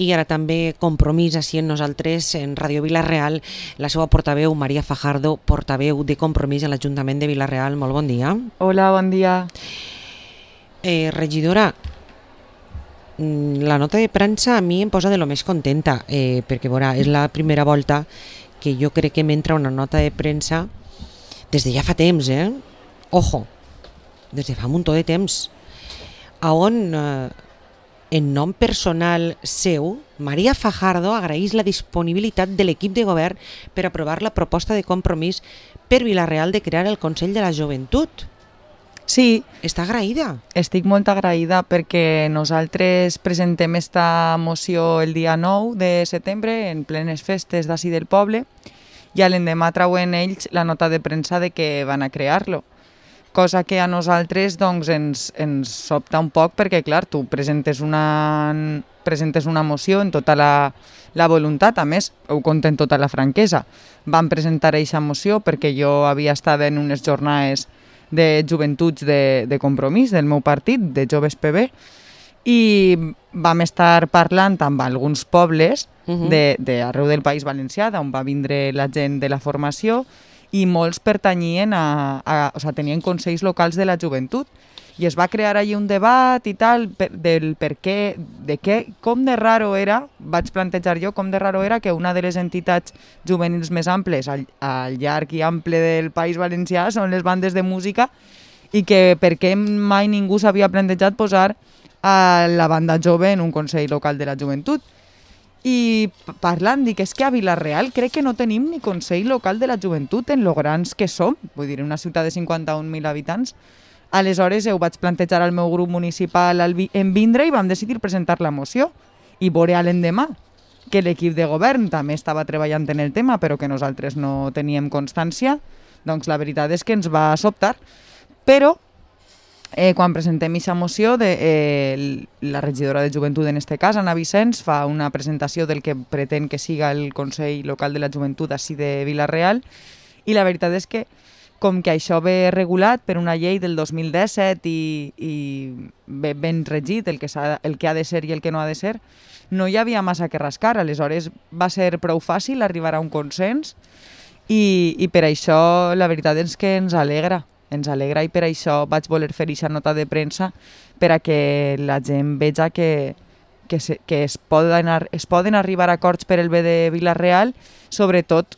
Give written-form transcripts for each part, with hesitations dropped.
i ara també Compromís així en nosaltres, en Ràdio Vila-real, la seva portaveu, Maria Fajardo, portaveu de Compromís a l'Ajuntament de Vila-real. Molt bon dia. Hola, bon dia. Regidora, la nota de premsa a mi em posa de lo més contenta, perquè veurà, és la primera volta que jo crec que m'entra una nota de premsa des de ja fa temps, Ojo, des de fa un muntó de temps, on en nom personal seu, Maria Fajardo agraeix la disponibilitat de l'equip de govern per aprovar la proposta de Compromís per Vila-real de crear el Consell de la Joventut. Sí, Està agraïda. estic molt agraïda perquè nosaltres presentem esta moció el dia 9 de setembre en plenes festes d'ací del poble i a l'endemà trauen ells la nota de premsa de que van a crear-lo. Cosa que a nosaltres doncs, ens sobta un poc perquè, clar, tu presentes una moció en tota la voluntat, a més, ho conto en tota la franquesa. Vam presentar aquesta moció perquè jo havia estat en unes jornades de joventuts de Compromís, del meu partit, de Joves PB, i vam estar parlant amb alguns pobles d'arreu del País Valencià, on va vindre la gent de la formació, i molts pertanyien o sigui, tenien consells locals de la joventut. I es va crear allí un debat i tal, del per què, com de raro era, vaig plantejar jo, com de raro era que una de les entitats juvenils més amples al llarg i ample del País Valencià són les bandes de música i que per què mai ningú s'havia plantejat posar a la banda jove en un consell local de la joventut. I parlant, dic, és que a Vila-real crec que no tenim ni Consell Local de la Joventut en lo grans que som, vull dir, una ciutat de 51.000 habitants. Aleshores ho vaig plantejar al meu grup municipal en vindre i vam decidir presentar la moció i veure a l'endemà que l'equip de govern també estava treballant en el tema però que nosaltres no teníem constància, doncs la veritat és que ens va sobtar. Però quan presentem aquesta moció, la regidora de Joventut, en este cas, Anna Vicens, fa una presentació del que pretén que siga el Consell Local de la Joventut així de Vila-real, i la veritat és que, com que això ve regulat per una llei del 2017 i ve ben regit el que ha de ser i el que no ha de ser, no hi havia massa que rascar. Aleshores va ser prou fàcil arribar a un consens i per això la veritat és que ens alegra i per això vaig voler fer aquesta nota de premsa per a que la gent veja que es poden arribar a acords per el bé de Vila-real, sobretot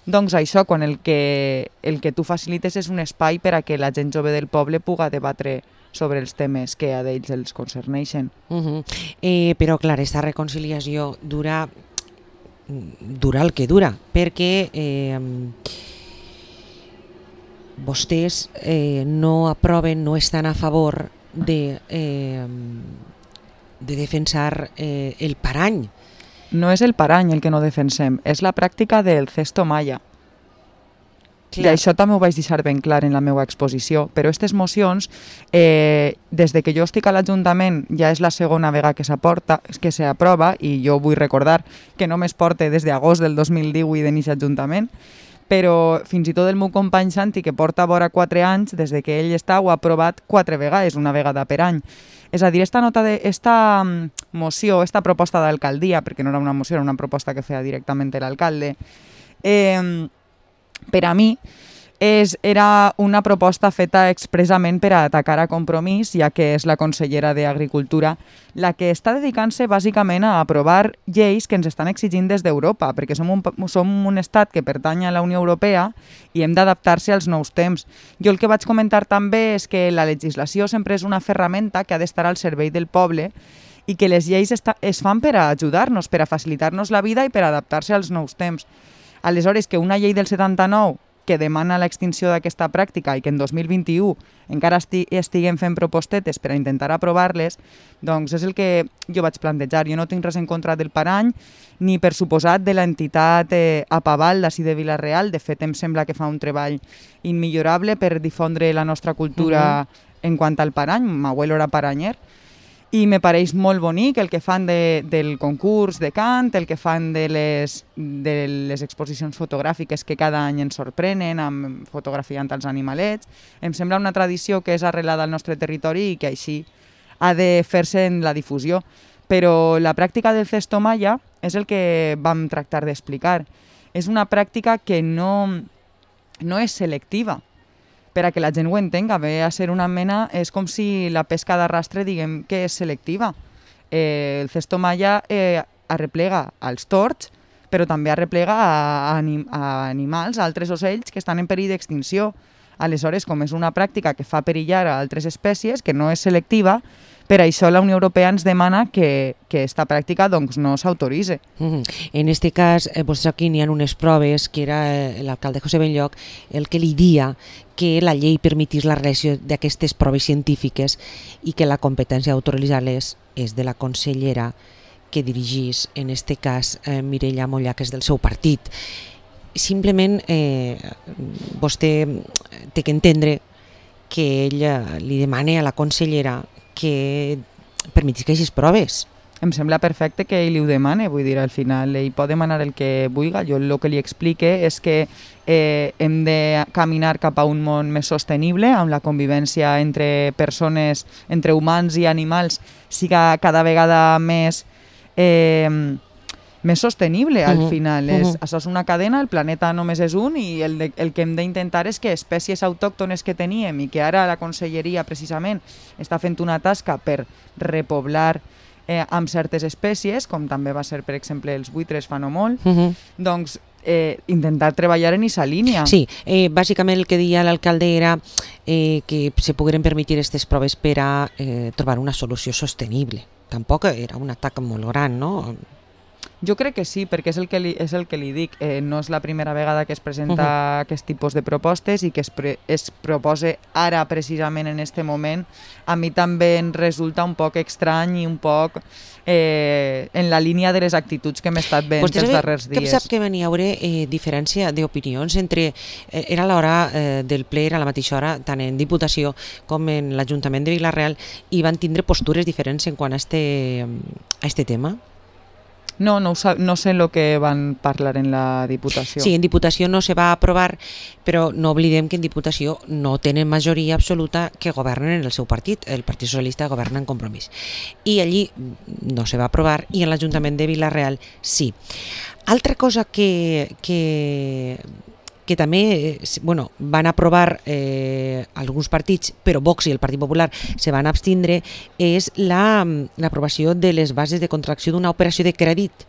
doncs això, quan el que tu facilites és un espai per a que la gent jove del poble puga debatre sobre els temes que a d'ells els concerneixen. Però clar, aquesta reconciliació dura el que dura, perquè vostès no aproven, no estan a favor de defensar el parany. No és el parany el que no defensem, és la pràctica del cesto malla. I això també ho vaig deixar ben clar en la meva exposició, però aquestes mocions, des de que jo estic a l'Ajuntament, ja és la segona vegada que s'aprova, i jo vull recordar que només porta des d'agost del 2018 en aquest Ajuntament, però fins i tot el meu company Santi, que porta vora 4 anys, des de que ell està, ho ha aprovat 4 vegades, una vegada per any. És a dir, esta moció, esta proposta d'alcaldia, perquè no era una moció, era una proposta que feia directament l'alcalde, per a mi era una proposta feta expressament per a atacar a Compromís, ja que és la consellera d'Agricultura la que està dedicant-se bàsicament a aprovar lleis que ens estan exigint des d'Europa, perquè som un estat que pertany a la Unió Europea i hem d'adaptar-se als nous temps. Jo el que vaig comentar també és que la legislació sempre és una ferramenta que ha d'estar al servei del poble i que les lleis es fan per a ajudar-nos, per a facilitar-nos la vida i per a adaptar-se als nous temps. Aleshores, que una llei del 79 que demana l'extinció d'aquesta pràctica i que en 2021 encara estiguem fent propostetes per a intentar aprovar-les, doncs és el que jo vaig plantejar. Jo no tinc res en contra del parany, ni per suposat de l'entitat Apaval d'ací de Vila-real. De fet, em sembla que fa un treball immillorable per difondre la nostra cultura en quant al parany. M'abuelo era paranyer. I me pareix molt bonic el que fan del concurs de cant, el que fan de les exposicions fotogràfiques que cada any ens sorprenen fotografiant els animalets. Em sembla una tradició que és arrelada al nostre territori i que així ha de fer-se en la difusió. Però la pràctica del cesto malla és el que vam tractar d'explicar. És una pràctica que no és selectiva. Per a que la gent ho entenga, ve a ser una mena... És com si la pesca d'arrastre, diguem, que és selectiva. El cesto malla arreplega als tords, però també arreplega a animals, a altres ocells que estan en perill d'extinció. Aleshores, com és una pràctica que fa perillar a altres espècies, que no és selectiva, per això la Unió Europea ens demana que esta pràctica doncs, no s'autoritze. En este cas, vostès aquí n'hi ha unes proves que era l'alcalde José Benlloch el que li dia que la llei permetís la realització d'aquestes proves científiques i que la competència d'autoritzar-les és de la consellera que dirigís, en este cas, Mireia Mollà, que és del seu partit. Simplement, vostè té que entendre que ella li demana a la consellera que permetisca aquestes proves. Em sembla perfecte que ell li ho demane, vull dir, al final ell pot demanar el que vulgui. Jo el que li explique és que hem de caminar cap a un món més sostenible, amb la convivència entre persones, entre humans i animals, siga cada vegada més sostenible al final. Això és una cadena, el planeta només és un i el que hem d'intentar és que espècies autòctones que teníem i que ara la conselleria precisament està fent una tasca per repoblar amb certes espècies, com també va ser, per exemple, els buitres fa no molt, doncs intentar treballar en aquesta línia. Sí, bàsicament el que deia l'alcalde era que se pogueren permetre aquestes proves per a trobar una solució sostenible. Tampoc era un atac molt gran, no? Jo crec que sí, perquè és el que li dic. No és la primera vegada que es presenta aquest tipus de propostes i que es propose ara, precisament en aquest moment. A mi també em resulta un poc estrany i un poc en la línia de les actituds que hem estat veient els darrers dies. Que sap que venia a haure diferència d'opinions entre... Era l'hora del ple, era a la mateixa hora, tant en Diputació com en l'Ajuntament de Vila-real, i van tindre postures diferents en quant a este tema? No sé el que van parlar en la Diputació. Sí, en Diputació no se va aprovar, però no oblidem que en Diputació no tenen majoria absoluta que governen en el seu partit. El Partit Socialista governa en Compromís. I allí no se va aprovar i en l'Ajuntament de Vila-real sí. Altra cosa que també van aprovar alguns partits, però Vox i el Partit Popular se van abstindre, és l'aprovació de les bases de contracció d'una operació de crèdit,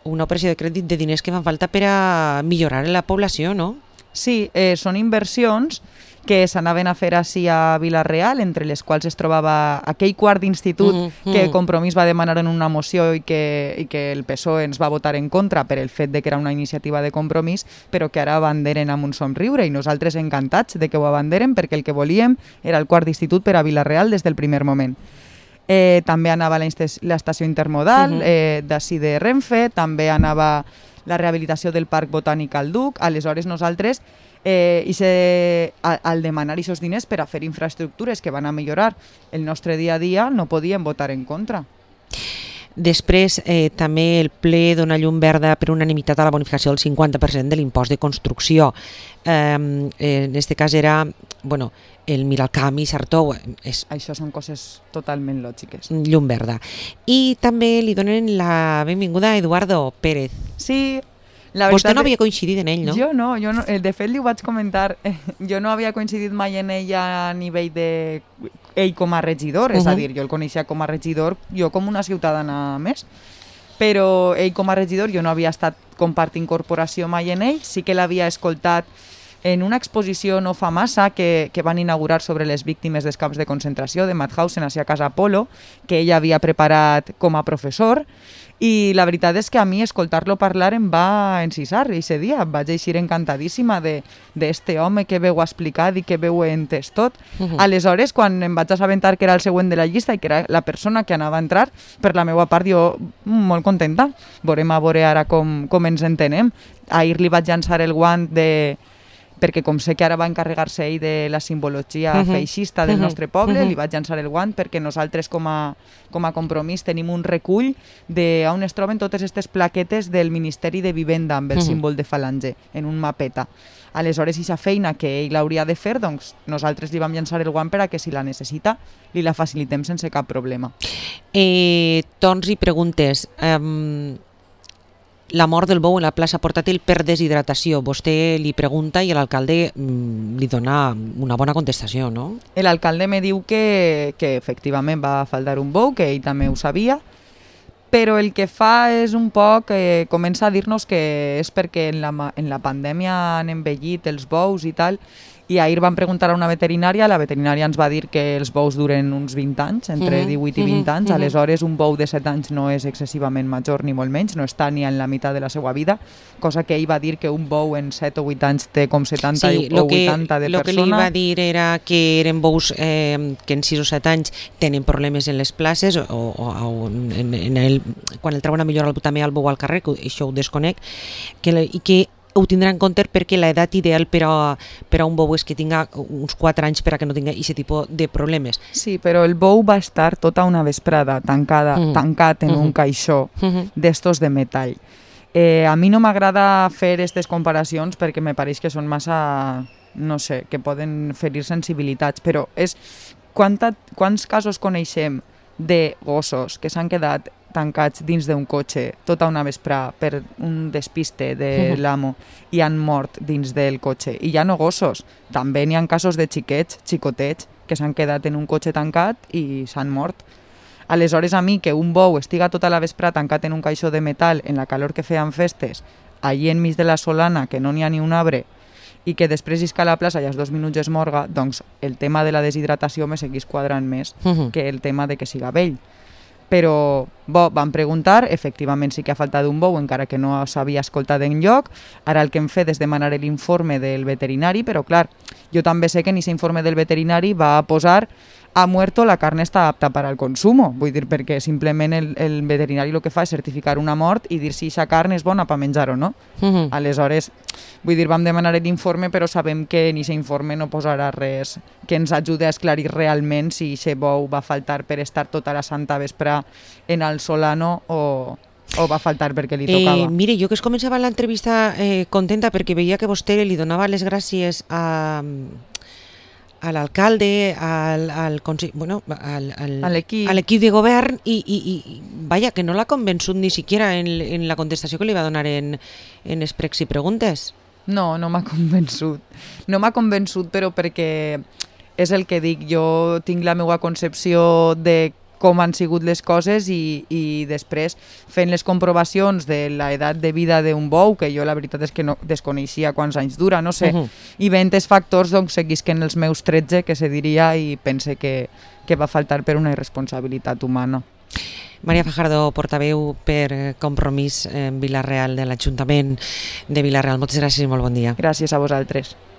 de diners que fan falta per a millorar la població, no? Sí, són inversions que s'anaven a fer així a Vila-real, entre les quals es trobava aquell quart d'institut que Compromís va demanar en una moció i que el PSOE ens va votar en contra per el fet de que era una iniciativa de Compromís, però que ara abanderen amb un somriure i nosaltres encantats de que ho abanderen perquè el que volíem era el quart d'institut per a Vila-real des del primer moment. També anava l'estació intermodal d'ací de Renfe, també anava la rehabilitació del Parc Botànic al Duc. Aleshores nosaltres al demanar aquests diners per a fer infraestructures que van a millorar el nostre dia a dia, no podíem votar en contra. Després també el ple dona llum verda per unanimitat a la bonificació del 50% de l'impost de construcció. En aquest cas era el Miralcamp i Sartó. Això són coses totalment lògiques. Llum verda. I també li donen la benvinguda a Eduardo Pérez. Sí. Vostè no havia coincidit en ell, no? Jo no. De fet, li ho vaig comentar. Jo no havia coincidit mai en ell a nivell de ell com a regidor, és a dir, jo el coneixia com a regidor, jo com una ciutadana més, però ell com a regidor jo no havia estat compartint corporació mai en ell, sí que l'havia escoltat en una exposició no fa massa que van inaugurar sobre les víctimes dels camps de concentració de Mauthausen a Casa Polo, que ell havia preparat com a professor, i la veritat és que a mi escoltar-lo parlar em va encisar aquest dia. Vaig eixir encantadíssima d'este home que veu explicat i que veu entès tot. Aleshores, quan em vaig assabentar que era el següent de la llista i que era la persona que anava a entrar, per la meva part jo molt contenta. Veurem a veure ara com ens entenem. Ahir li vaig llançar el guant perquè com sé que ara va encarregar-se ell de la simbologia feixista del nostre poble, li vaig llançar el guant perquè nosaltres com a compromís tenim un recull d'on es troben totes aquestes plaquetes del Ministeri de Vivenda amb el símbol de falange en un mapeta. Aleshores, aquesta feina que ell hauria de fer, doncs nosaltres li vam llançar el guant per a que si la necessita li la facilitem sense cap problema. Torns i preguntes. La mort del bou en la plaça Portàtil per deshidratació. Vostè li pregunta i l'alcalde li dona una bona contestació, no? L'alcalde me diu que efectivament va faltar un bou, que ell també ho sabia, però el que fa és un poc, comença a dir-nos que és perquè en la pandèmia han envellit els bous i tal, i ahir vam preguntar a una veterinària, la veterinària ens va dir que els bous duren uns 20 anys, entre 18 i 20 anys, aleshores un bou de 7 anys no és excessivament major ni molt menys, no està ni en la meitat de la seva vida, cosa que ell va dir que un bou en 7 o 8 anys té com 70 o 80 de persona. El que li va dir era que eren bous que en 6 o 7 anys tenen problemes en les places o quan el treuen a millorar també el bou al carrer, que això ho desconec, i que ho tindrà en compte perquè l'edat ideal per a un bou és que tinga uns 4 anys per a que no tinga aquest tipus de problemes. Sí, però el bou va estar tota una vesprada tancat en un caixó d'estos de metall. A mi no m'agrada fer aquestes comparacions perquè me pareix que són massa, no sé, que poden ferir sensibilitats, però és quants casos coneixem de gossos que s'han quedat tancats dins d'un cotxe tota una vesprà per un despiste de l'amo i han mort dins del cotxe. I ja no gossos, també n'hi ha casos de xicotets, que s'han quedat en un cotxe tancat i s'han mort. Aleshores, a mi, que un bou estiga tota la vesprà tancat en un caixó de metall en la calor que feien festes, allí enmig de la solana, que no n'hi ha ni un arbre, i que després isca a la plaça i als 2 minuts es morga, doncs el tema de la deshidratació me seguís quadrant més que el tema de que siga vell. Però vam preguntar, efectivament sí que ha faltat un bou, encara que no s'havia escoltat enlloc. Ara el que hem fet és demanar l'informe del veterinari, però clar, jo també sé que en aquest informe del veterinari va posar ha muerto, la carne està apta per al consumo. Vull dir, perquè simplement el veterinari el que fa és certificar una mort i dir si aquesta carn és bona per menjar o no. Aleshores, vull dir, vam demanar l'informe, però sabem que en aquest informe no posarà res que ens ajudi a esclarir realment si aquest bou va faltar per estar tota la santa vesprà en el solano o va faltar perquè li tocava. Mire, jo que es començava l'entrevista contenta perquè veia que vostè li donava les gràcies a l'alcalde, al consell, bueno, a l'equip de govern i vaja, que no l'ha convençut ni siquiera en la contestació que li va donar en Expregs i Preguntes. No m'ha convençut. No m'ha convençut, però perquè és el que dic, jo tinc la meva concepció de com han sigut les coses i després fent les comprovacions de l'edat de vida d'un bou, que jo la veritat és que no desconeixia quants anys dura, no sé, i veient els factors doncs seguisquen els meus 13, que se diria, i pense que va faltar per una irresponsabilitat humana. Maria Fajardo, portaveu per Compromís en Vila-real de l'Ajuntament de Vila-real. Moltes gràcies i molt bon dia. Gràcies a vosaltres.